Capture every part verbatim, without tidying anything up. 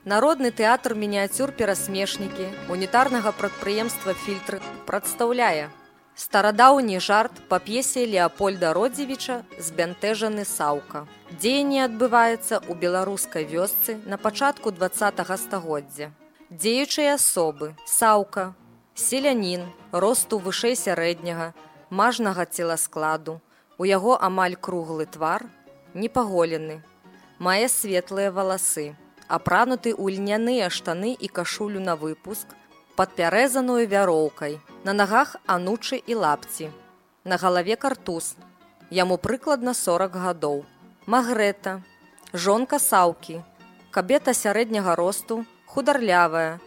Народны тэатр мініяцюр-перасмешнікі унітарнага прадпрыемства «Фільтр» прадстаўляе старадаўні жарт па п'есе Леапольда Родзівіча «Збянтэжаны Саўка». Дзеянне адбываецца ў беларускай вёсцы на пачатку дваццатага стагоддзя. Дзеючыя асобы: Саўка, селянін, росту вышэй сярэдняга, мажнага целаскладу, у яго амаль круглы твар, непаголены, мае светлыя валасы, апрануты ў льняныя штаны і кашулю на выпуск, падпярэзаную вяроўкай, на нагах анучы і лапці, на галаве картуз, яму прыкладна сорак гадоў. Магрэта, жонка Саўкі, кабета сярэдняга росту, хударлявая,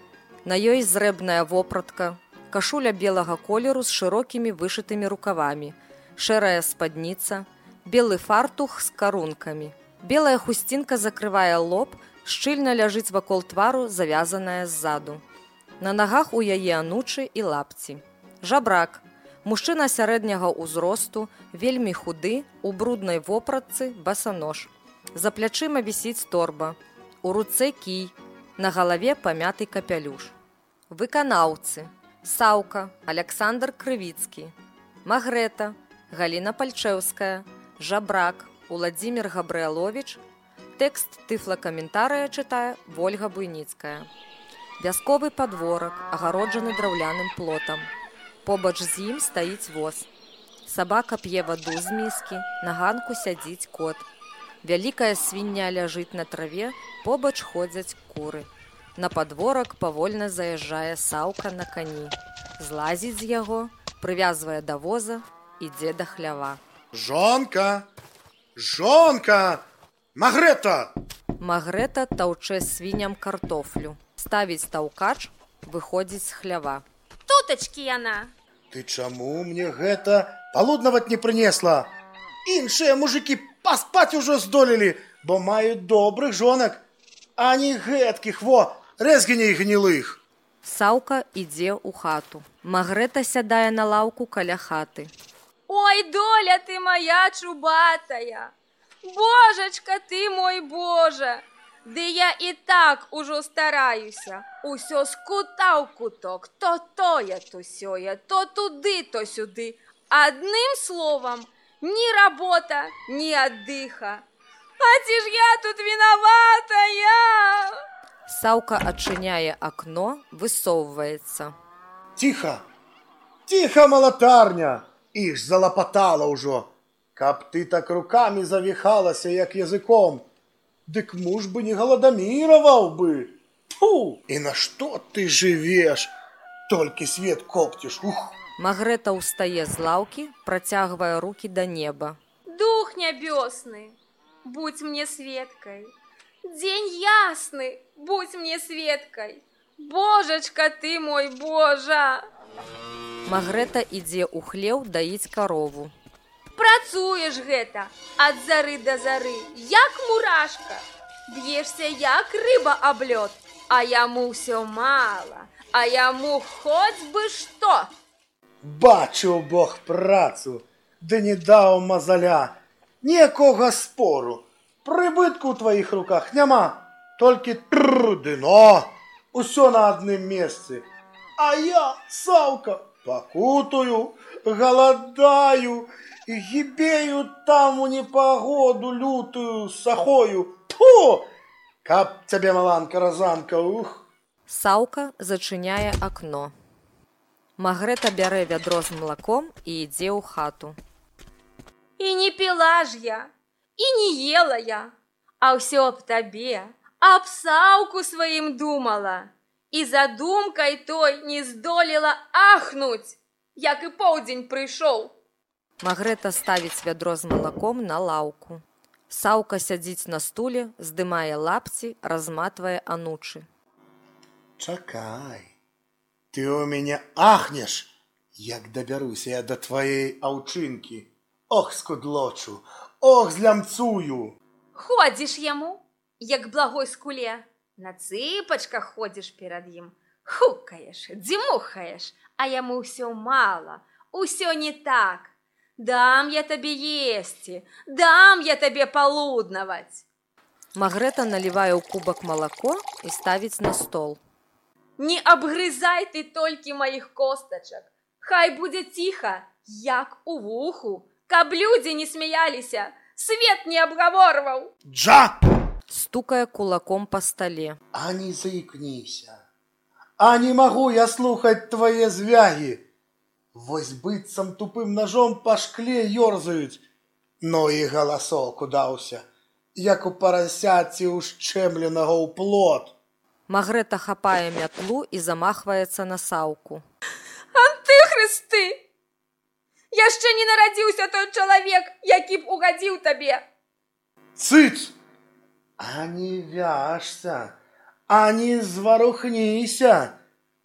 на ёй зрэбная вопратка, кашуля белага колеру з шырокімі вышытымі рукавамі, шэрая спадніца, белы фартух з карункамі. Белая хусцінка закрывае лоб, шчыльна ляжыць вакол твару, завязаная ззаду. На нагах у яе анучы і лапці. Жабрак, мужчына сярэдняга ўзросту, вельмі худы, у бруднай вопратцы, басанож. За плячыма вісіць торба, у руцэ кій, на галаве памяты капялюш. Выканаўцы: Саўка, Аляксандр Крывіцкі. Магрэта, Галіна Пальчэўская. Жабрак, Уладзімір Габрыяловіч. Тэкст тыфлакаментарыя чытае Вольга Буйніцкая. Вясковы падворак, агароджаны драўляным плотам. Побач з ім стаіць воз. Сабака п'е ваду з міскі, на ганку сядзіць кот. Вялікая свіння ляжыць на траве, побач ходзяць куры. На падворак павольна заязджае Саўка на кані. Злазіць з яго, прывязвае да воза, ідзе да хлява. Жонка! Жонка! Магрэта! Магрэта таўчэ свіням картофлю. Ставіць таўкач, выходзіць з хлява. Тутачкі яна. Ты чаму мне гэта палуднаваць не прынесла? Іншыя мужыкі паспаць ужо здолелі, бо маюць добрых жонак, а не гэткіх, во, рэзгіней гнілых. Саўка ідзе ў хату. Магрэта сядае на лаўку каля хаты. Ой, доля ты моя чубатая! Божачка ты мой Божа! Ды я і так ужо стараюся. Усё з кута ў куток, то тое, то сёе, то туды, то сюды. Адным словам, ні работа, ні аддыха. А ці ж я тут вінаватая? Саўка адчыняе акно, высоўваецца. Ціха! Ціха, малатарня! Іх залапатала ўжо. Каб ты так рукамі завіхалася, як языком, дык муж бы не галадаміраваў бы. Фу! І на што ты жывеш? Толькі свет копціш. Ух! Магрэта ўстае з лаўкі, працягвае рукі да неба. Дух нябёсны, будь мне светкай. Дзень ясны, будь мне светкай. Божачка ты мой Божа! Магрэта ідзе ў хлеў даіць карову. Працуеш гэта ад зары да зары, як мурашка. Б'ешся, як рыба аб лёд, а яму ўсё мала, а яму хоць бы што. Бачыў Бог працу, ды не даў мазаля. Ніякога спору. Прыбытку ў тваіх руках няма, толькі тррр ды но. Усё на адным месцы. А я, Саўка, пакутую, галадаю, гібею там у непагоду лютую сахою. Тьфу! Каб цябе, маланка-разанка, ух! Саўка зачыняе акно. Магрэта бярэ вядро з малаком і ідзе ў хату. І не піла ж я, і не ела я, а ўсё аб табе, аб Саўку сваім думала. І за думкай той не здолела ахнуць, як і поўдзень прыйшоў. Магрэта ставіць вядро з малаком на лаўку. Саўка сядзіць на стуле, здымае лапці, разматвае анучы. Чакай, ты ў мяне ахнеш, як дабяруся я да тваей аўчынкі. Ох, скудлочу, ох, злямцую. Ходзіш яму, як благой скуле. На цыпачках ходзіш перад ім, хукаеш, дзімухаеш, а яму ўсё мала, усё не так. Дам я табе есці, дам я табе палуднаваць. Магрэта налівае ў кубак малако і ставіць на стол. Не абгрызай ты толькі маіх костачак. Хай будзе ціха, як у вуху, каб людзі не смяяліся, свет не абгаворваў. Джа! Стукае кулаком па стале. А не заикнися. А не могу я слухать твои звяги. Вось быццам тупым ножом по шкле ёрзаюць. Но і галасок удаўся, як у парасяці ушчэмленага ў плот. Магрэта хапае мятлу і замахваецца на Саўку. Антыхрысты! Яшчэ не нарадзіўся той чалавек, які б угадзіў табе. Цыц! А не вяжся, а не зварухніся,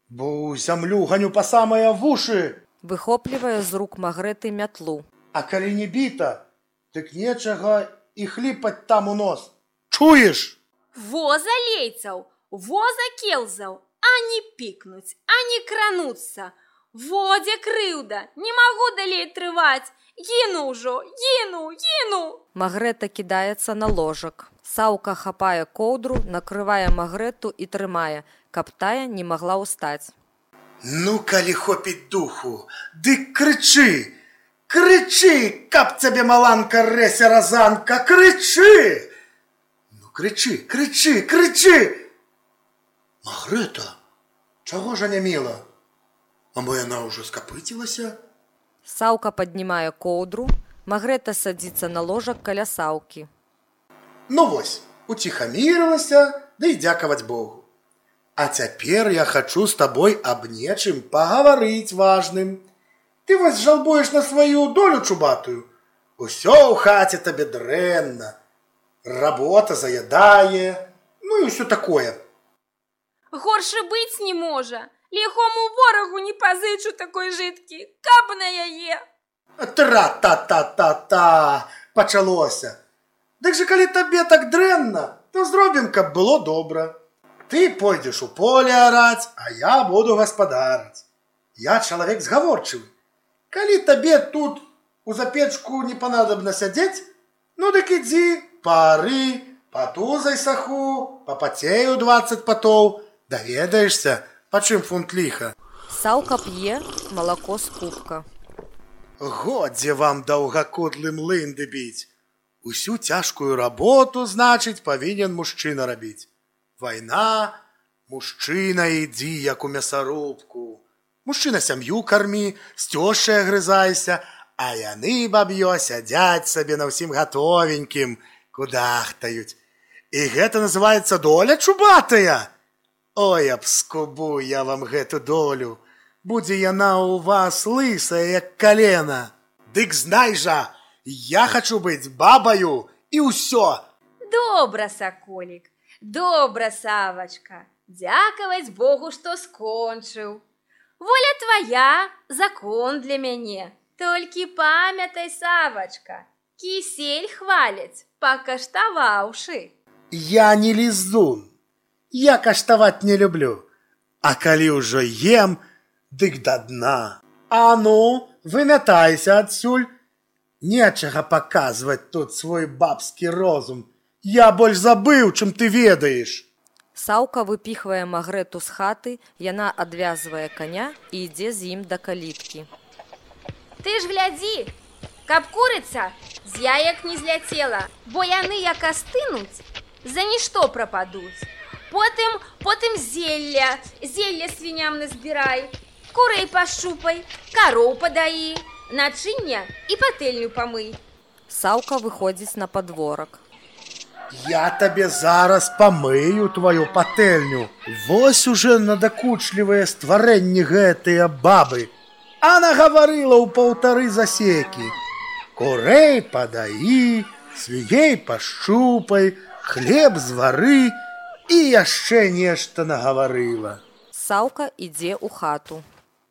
бо ў зямлю ганю па самыя вушы. Выхоплівае з рук Магрэты мятлу. А калі не біта, дык нечага і хліпаць там у нос. Чуеш? Во залейцаў, во закелзаў, а не пікнуць, а не крануцца. Во дзе крыўда, не магу далей трываць. Гіну ўжо, гіну, гіну. Магрэта кідаецца на ложак. Саўка хапае коўдру, накрывае Магрэту і трымае, каб тая не магла ўстаць. Ну, калі хопіць духу, дык крычы! Крычы, каб цябе маланка рэся разанка, крычы! Ну, крычы, крычы, крычы! Магрэта, чаго ж анямела? А мо яна ўжо скапыцілася? Саўка паднімае коўдру, Магрэта садзіцца на ложак каля Саўкі. Ну вось, уціхамірылася, ды і дзякаваць Богу. А цяпер я хачу з табой аб нечым пагаварыць важным. Ты вось жалбуеш на сваю долю чубатую. Усё ў хаце табе дрэнна. Работа заядае, ну і ўсё такое. Горше быць не можа. Ліхому ворагу не пазычу такой жыткі, каб на яе. Тра-та-та-та-та, пачалося. Дык жа калі табе так дрэнна, то зробім, каб было добра. Ты пойдзеш у поле араць, а я буду гаспадараць. Я чалавек згаворчывы. Калі табе тут у запечку не панадобна сядзець, ну дык ідзі, пары, патузай саху, папацею дваццаць патоў, даведаешся, па чым фунт ліха. Саўка п'е малако з кубка. Годзе вам даўгакудлым лынды біць. Усю цяжкую работу, значыць, павінен мужчына рабіць. Вайна, мужчына ідзі, як у мясарубку. Мужчына сям'ю кармі, з цёшчай агрызайся, а яны, баб'ё, сядзяць сабе на ўсім гатовенькім, кудахтаюць. І гэта называецца доля чубатая. Ой, абскубу я вам гэту долю. Будзе яна ў вас лысая, як калена. Дык знай жа, я хачу быць бабаю і ўсё. Добра, саколік, добра, Савачка. Дзякаваць Богу, што скончыў. Воля твая, закон для мяне. Толькі памятай, Савачка, кісель хваляць, пакаштаваўшы. Я не лізун. Я каштаваць не люблю. А калі ўжо ем, дык да дна. А ну, вымятайся адсюль. Нечага паказваць тут свой бабскі розум. Я больш забыў, чым ты ведаеш. Саўка выпіхвае Магрэту з хаты, яна адвязвае каня і ідзе з ім да каліткі. Ты ж глядзі, каб курыца з яек не зляцела, бо яны як астынуць, за нішто прападуць. Потым, потым зелля, зелля свіням назбірай, курэй пашчупай, кароў падаі, начыння і патэльню памый. Саўка выходзіць на падворак. Я табе зараз памыю твою патэльню. Вось уже надакучлівыя стварэнні гэтыя бабы. А нагаварыла ў паўтары засекі. Курэй падаі, свіней пашчупай, хлеб звары і яшчэ нешта нагаварыла. Саўка ідзе ў хату.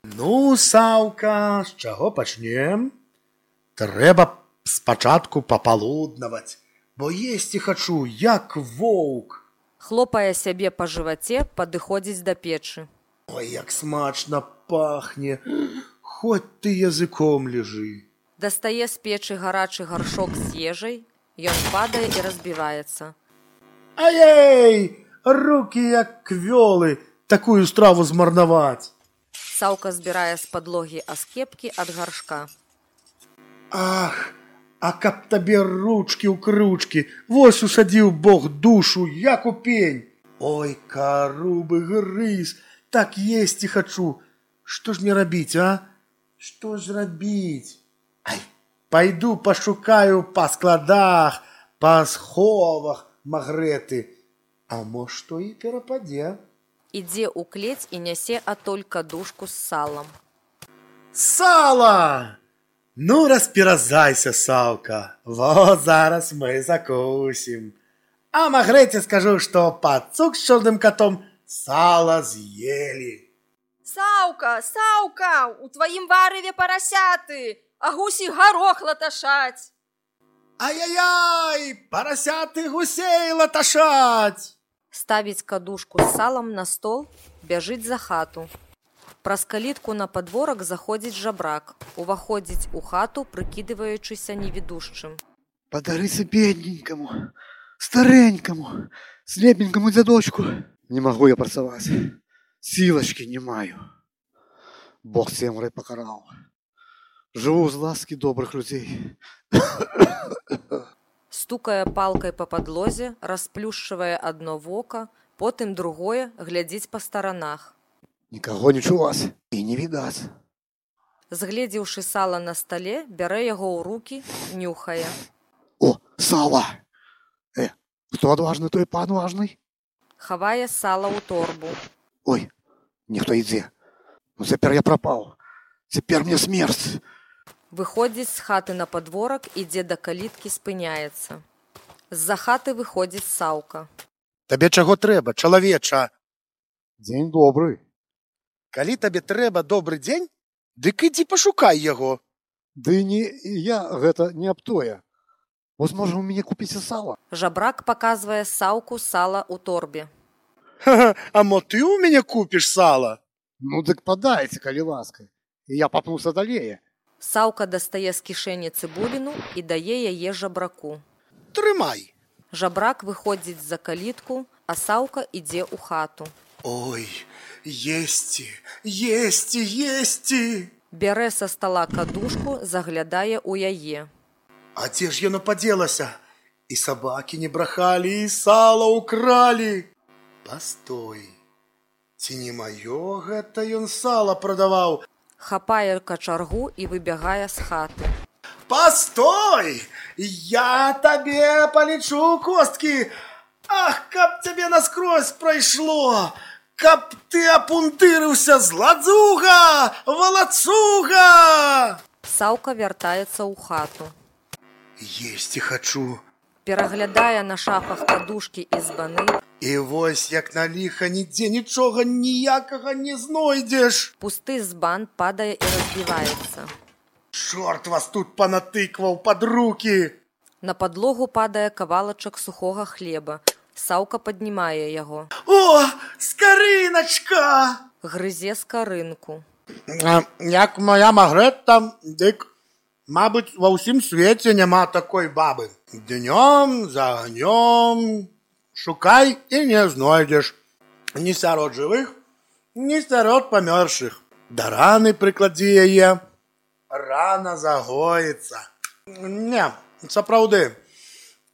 Ну, Саўка, з чаго пачнем? Трэба спачатку папалуднаваць, бо есці хачу, як воўк. Хлопае сябе па жываце, падыходзіць да печы. Ой, як смачна пахне, хоць ты языком лежы. Дастае з печы гарачы гаршок з ежай, ён падае і разбіваецца. Ай-ей! Руки як квёлы, такую страву змарнаваць. Саўка збірае з падлогі аскепкі ад гаршка. Ах, а каб табе ручкі ў кручкі, вось усадзіў Бог душу, як у пень. Ой, карубы грыз, так есці хачу. Што ж мне рабіць, а? Што ж рабіць? Ай, пайду пашукаю па складах, па сховах магрэты. А мо што і перападзе. Ідзе ў клець і нясе атоль кадушку з салам. Сала! Ну, распіразайся, Саўка. Во, зараз мы закусім. А магрэце скажу, што пацук з чорным катом сала з'елі. Саўка, Саўка, у тваім варыве парасяты, а гусі гарох латашаць. Ай-яй-яй, парасяты гусей латашаць! Ставіць кадушку з салам на стол, бяжыць за хату. Праз калітку на падворак заходзіць жабрак, уваходзіць у хату, прыкідываючыся невідушчым. Падарыся бедненькаму, старенькаму, слепенькаму дзядочку. Не магу я працаваць, сілачкі не маю. Бог цемрай пакараў. Жыву з ласкі добрых людзей. Стукае палкай па падлозе, расплюшчвае адно вока, потым другое, глядзіць па старанах. Нікаго не чуваць і не відаць. Згледзеўшы сала на стале, бярэ яго ў рукі, нюхае. О, сала! Э, хто адважны, той пан важны? Хавае сала ў торбу. Ой, ніхто ідзе. Ну цяпер я прапаў. Цяпер мне смерць. Выходзіць з хаты на падворак, ідзе да каліткі, спыняецца. З-за хаты выходзіць Саўка. Табе чаго трэба, чалавеча? Дзень добры. Калі табе трэба добры дзень, дык ідзі пашукай яго. Ды не я гэта не аб тое. Вось можа ў мяне купіць сала? Жабрак паказвае Саўку сала ў торбе. Ха-ха, а мо ты ў мяне купіш сала? Ну дык падайце, калі ласка. І я папнуся далей. Саўка дастае з кішэні цыбуліну і дае яе жабраку. Трымай. Жабрак выходзіць за калітку, а Саўка ідзе ў хату. Ой, есці, есці, есці! Бярэ са стала кадушку, заглядае ў яе. А дзе ж яно падзелася? І сабакі не брахалі, і сала ўкралі. Пастой, ці не маё гэта ён сала прадаваў? Хапае качаргу і выбягае з хаты. Пастой! Я табе палічу косткі! Ах, каб цябе наскрозь прайшло! Каб ты апунтырыўся, зладзуга! Валацуга! Саўка вяртаецца ў хату. Есці хачу. Пераглядае на шафах падушкі і збаны. І вось як на ліха нідзе нічога ніякага не знойдзеш. Пусты збан падае і разбіваецца. Чорт вас тут панатыкваў пад рукі. На падлогу падае кавалачак сухога хлеба. Саўка паднімае яго. О, скарыначка! Грызе скарынку. Як моя магрэта, дык, мабыць, ва ўсім свеце няма такой бабы. Днём за агнём шукай і не знойдзеш. Ні сярод жывых, ні сярод памёршых. Да раны прыкладзі яе, рана загоіцца. Не, сапраўды,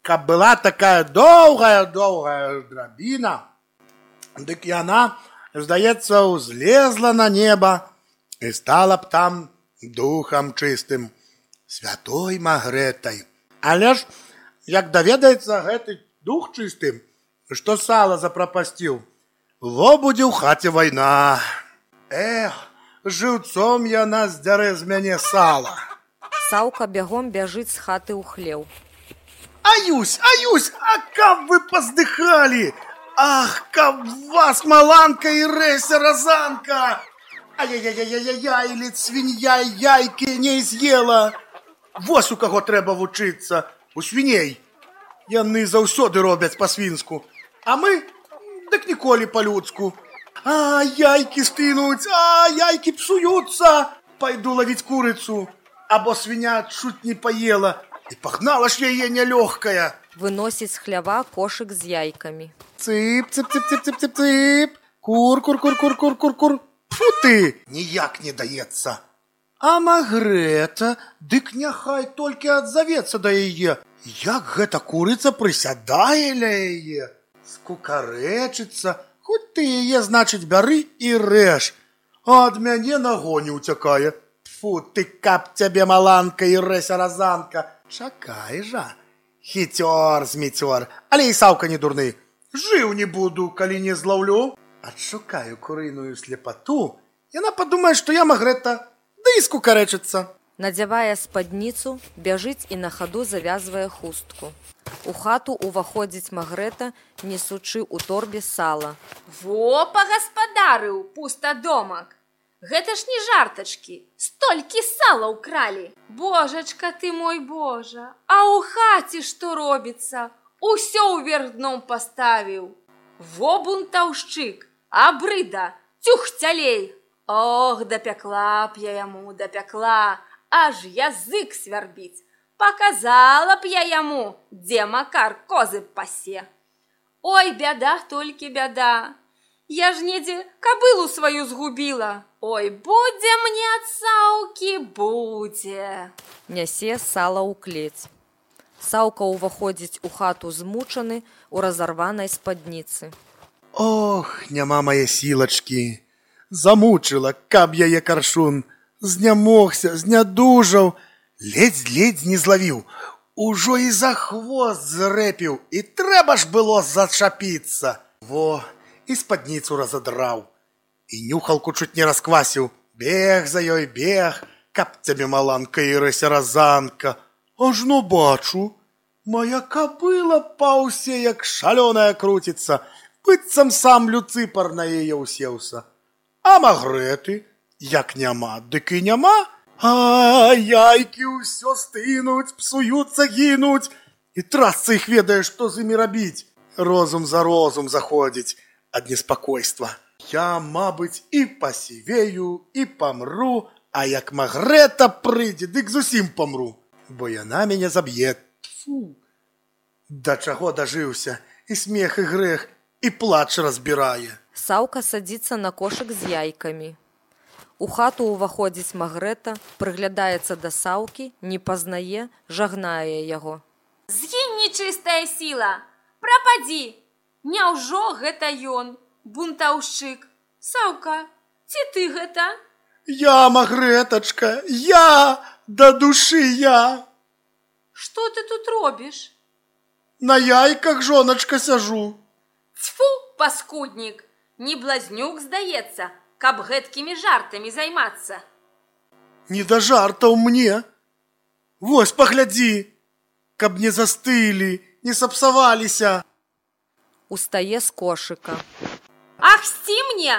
каб была такая доўгая-доўгая драбіна, дык яна, здаецца, узлезла на неба і стала б там духам чыстым, святой магрэтай. Але ж, як даведаецца гэты дух чыстым, што сала запрапасціў, во будзе ў хаце вайна. Эх, жыўцом яна здзярэ з мяне сала. Саўка бягом бяжыць з хаты ў хлеў. Аюсь, аюсь, а каб вы паздыхалі! Ах, каб вас маланка і рэся разанка! Ай-яй-яй-яй-яй, ледь свінья яйкі не з'ела! Вось у каго трэба вучыцца, у свіней. Яны заўсёды робяць па-свінску, а мы дык ніколі па-людску. А, яйкі стынуць, а, яйкі псуюцца. Пайду лавіць курыцу, або свіня чуць не паела, І пагнала ж яе нялёгкая. Выносіць з хлява кошык з яйкамі. Цып, цып, цып, цып, цып, цып, цып. Кур, кур, кур, кур, кур, кур, кур. Фу ты, ніяк не даецца. А Магрэта, дык няхай толькі адзавецца да яе. Як гэта курыца прысядае ля яе, скукарэчыцца. Хоць ты яе, значыць, бяры і рэж. А ад мяне нагоні ўцякае. Фу ты, каб цябе маланка і рэся-разанка. Чакай жа. Хіцёр, зміцёр, але і Саўка не дурны. Жыў не буду, калі не злаўлю. Адшукаю курыную слепату. Яна падумае, што я Магрэта, ды і скукарэчыцца. Надзявае спадніцу, бяжыць і на хаду завязвае хустку. У хату ўваходзіць Магрэта, несучы ў торбе сала. Во, пагаспадарыў, пустадомак. Гэта ж не жартачкі, столькі сала ўкралі. Божачка ты мой Божа, а ў хаце што робіцца? Усё ўверх дном паставіў. Во бунтаўшчык, абрыда, цюхцялей. Ох, дапякла б я яму, дапякла, аж язык свярбіць. Показала б я яму, дзе Макар козы пасе. Ой, бяда, толькі бяда. Я ж недзе кабылу сваю згубіла. Ой, будзе мне ад Саўкі, будзе. Нясе сала ў клець. Саўка ўваходзіць у хату змучаны у разарванай спадніцы. Ох, няма мае сілачкі. Замучыла, каб яе каршун. Знямогся, знядужаў. Ледзь-ледзь не злавіў. Ужо і за хвост зрэпіў. І трэба ж было зачапіцца. Во, і спадніцу разадраў. І нюхалку чуць не расквасіў. Бег за ёй, бег, каб цябе маланка і рэся-разанка. Ажно бачу, моя кабыла па ўсе як шалёная круціцца, быццам сам Люцыпар на яе ўсеўся. А Магрэты, як няма, дык і няма. А яйкі ўсё стынуць, псуюцца, гінуць. І трасца іх ведае, што з імі рабіць. Розум за розум заходзіць ад неспакойства. Я, мабыць, і пасівею, і памру, а як Магрэта прыйдзе, дык зусім памру. Бо яна мяне заб'е. Фу. Да чаго дажыўся, і смех, і грэх, і плач разбірае. Саўка садзіцца на кошык з яйкамі. У хату ўваходзіць Магрэта, прыглядаецца да Саўкі, не пазнае, жагнае яго. Згінь, нечыстая сіла, прападзі. Няўжо гэта ён, бунтаўшчык? Саўка, ці ты гэта? Я, Магрэтачка, я, да душы я. Што ты тут робіш? На яйках, жоначка, сяжу. Цьфу, паскуднік, не блазнюк, здаецца, каб гэткімі жартамі займацца. Не да жартаў мне. Вось, паглядзі, каб не застылі, не сапсаваліся. Устае з кошыка. Ах, сці мне!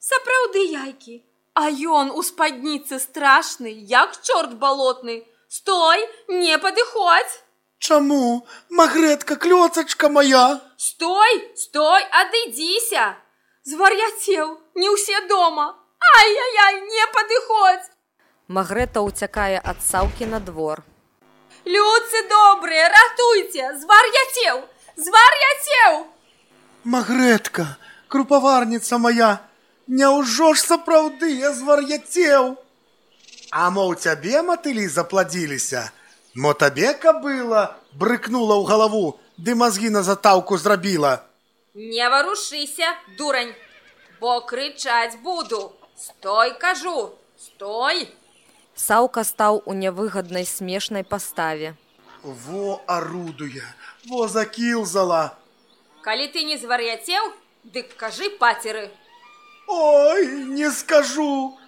Сапраўды яйкі. А ён у спадніцы страшны, як чорт балотны. Стой, не падыходзь. Чаму? Магрэтка, клёцачка моя. Стой, стой, адыдзіся. Звар'яцеў, не ўсе дома. Ай-яй-яй, не падыходзь. Магрэта ўцякае ад Саўкі на двор. Людцы добрыя, ратуйце, звар'яцеў, звар'яцеў. Магрэтка, крупаварніца моя, няўжо ж сапраўды я звар'яцеў? А мо ў цябе матылі запладзіліся? Мо табе кабыла брыкнула ў галаву, ды мазгі на затаўку зрабіла? Не варушыся, дурань, бо крычаць буду. Стой, кажу, стой. Саўка стаў у нявыгаднай смешнай паставе. Во арудуе, во закілзала. Калі ты не звар'яцеў, дык кажы пацеры. Ой, не скажу.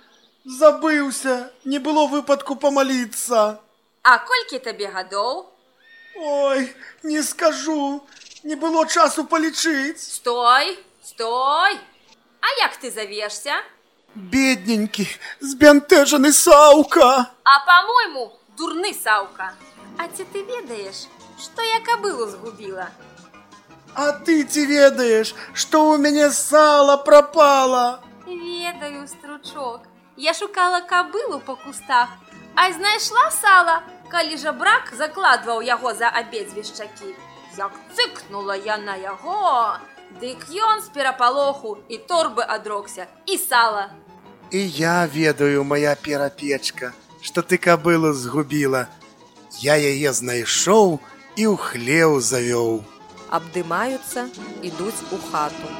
Забыўся, не было выпадку памаліцца. А колькі табе гадоў? Ой, не скажу, не было часу палічыць. Стой, стой. А як ты завешся? Бедненькі, збянтэжаны Саўка. А, па-мойму, дурны Саўка. А ці ты ведаеш, што я кабылу згубіла? А ты ці ведаеш, што ў мяне сала прапала? Ведаю, стручок. Я шукала кабылу па кустах, а знайшла сала, калі жабрак закладваў яго за абедзве шчакі. Як цыкнула я на яго, дык ён з перапалоху і торбы адрокся, і сала. І я ведаю, моя перапечка, што ты кабылу згубіла. Я яе знайшоў і ў хлеў завёў. Абдымаюцца, ідуць у хату.